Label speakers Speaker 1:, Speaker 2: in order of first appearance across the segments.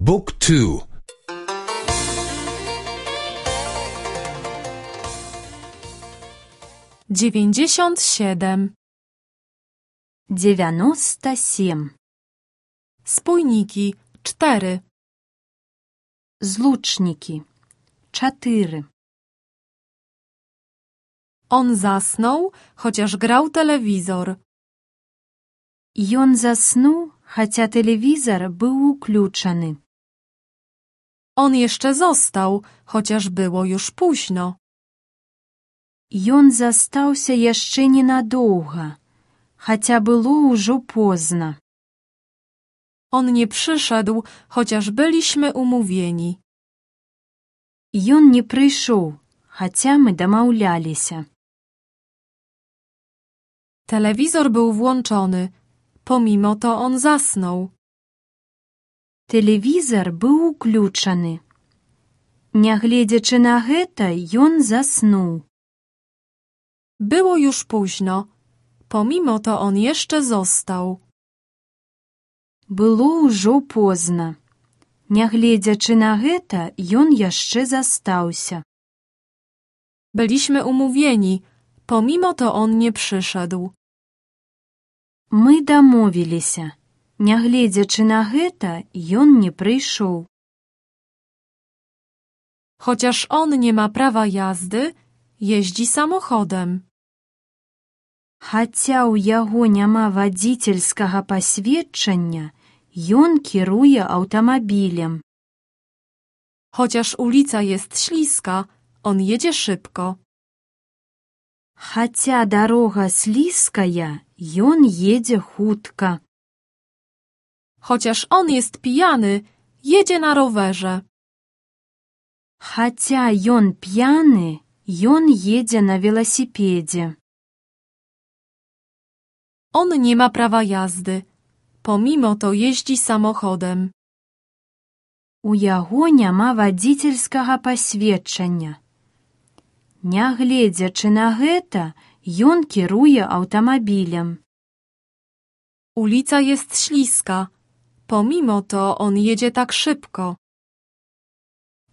Speaker 1: Book 2.
Speaker 2: 97.
Speaker 3: 97.
Speaker 2: Spójniki 4.
Speaker 3: Zluczniki 4.
Speaker 2: On zasnął, chociaż grał telewizor.
Speaker 3: Ён заснуў, хаця тэлевізар быў уключаны.
Speaker 2: On jeszcze został, chociaż było już późno.
Speaker 3: Ён застаўся яшчэ ненадоўга, хаця было ўжо позна.
Speaker 2: On nie przyszedł, chociaż byliśmy umówieni.
Speaker 3: Ён не прыйшоў, хаця мы дамаўляліся.
Speaker 2: Telewizor był włączony, pomimo to on zasnął.
Speaker 3: Тэлевізар быў уключаны. Нягледзячы на гэта, ён заснуў.
Speaker 2: Było już późno, pomimo to on jeszcze został.
Speaker 3: Было ўжо позна. Нягледзячы на гэта, ён яшчэ застаўся.
Speaker 2: Byliśmy umówieni, pomimo to on nie przyszedł.
Speaker 3: Мы дамовіліся. Нягледзячы на гэта, ён не прыйшоў.
Speaker 2: Chociaż on nie ma prawa jazdy, jeździ samochodem.
Speaker 3: Хаця ў яго няма вадзіцельскага пасведчання, ён кіруе аўтамабілем.
Speaker 2: Chociaż ulica jest śliska, on jedzie szybko.
Speaker 3: Хаця дарога слізкая, ён едзе хутка.
Speaker 2: Chociaż on jest pijany, jedzie na rowerze.
Speaker 3: Хаця ён п'яны, ён едзе на веласіпедзе.
Speaker 2: On nie ma prawa jazdy, pomimo to jeździ samochodem.
Speaker 3: У яго няма вадзіцельскага пасведчання. Нягледзячы на гэта, ён кіруе аўтамабілем.
Speaker 2: Ulica jest śliska, pomimo to on jedzie tak szybko.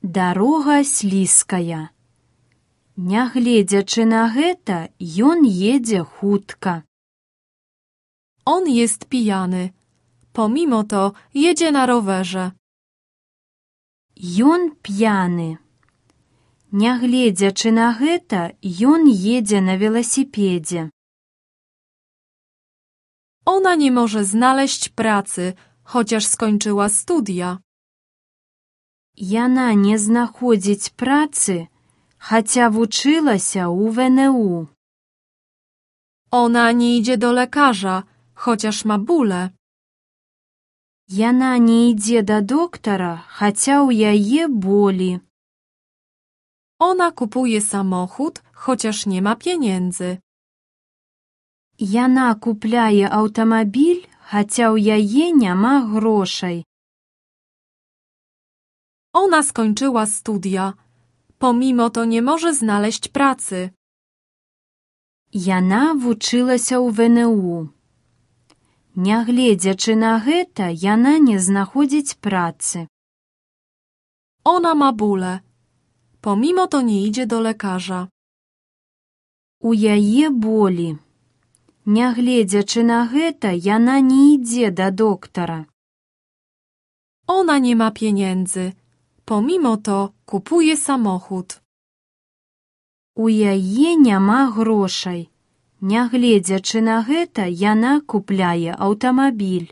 Speaker 3: Дарога слізкая. Нягледзячы на гэта, ён едзе хутка.
Speaker 2: On jest pijany, pomimo to jedzie na rowerze.
Speaker 3: Ён п'яны. Нягледзячы на гэта, ён едзе на веласіпедзе.
Speaker 2: Ona nie może znaleźć pracy, chociaż skończyła studia.
Speaker 3: Яна не знаходзіць працы, хаця вучылася ў ВНУ.
Speaker 2: Ona nie idzie do lekarza, chociaż ma bóle.
Speaker 3: Яна не ідзе да доктара, хаця ў яе болі.
Speaker 2: Ona kupuje samochód, chociaż nie ma pieniędzy.
Speaker 3: Яна купляе аўтамабіль, хаця ў яе няма грошай.
Speaker 2: Ona skończyła studia, pomimo to nie może znaleźć pracy.
Speaker 3: Яна вучылася ў ВНУ. Нягледзячы на гэта, яна не знаходзіць працы.
Speaker 2: Ona ma bóle, pomimo to nie idzie do lekarza.
Speaker 3: У яе болі. Нягледзячы на гэта, яна не ідзе да доктара.
Speaker 2: Ona nie ma pieniędzy, pomimo to kupuje samochód.
Speaker 3: У яе няма грошай. Нягледзячы на гэта, яна купляе аўтамабіль.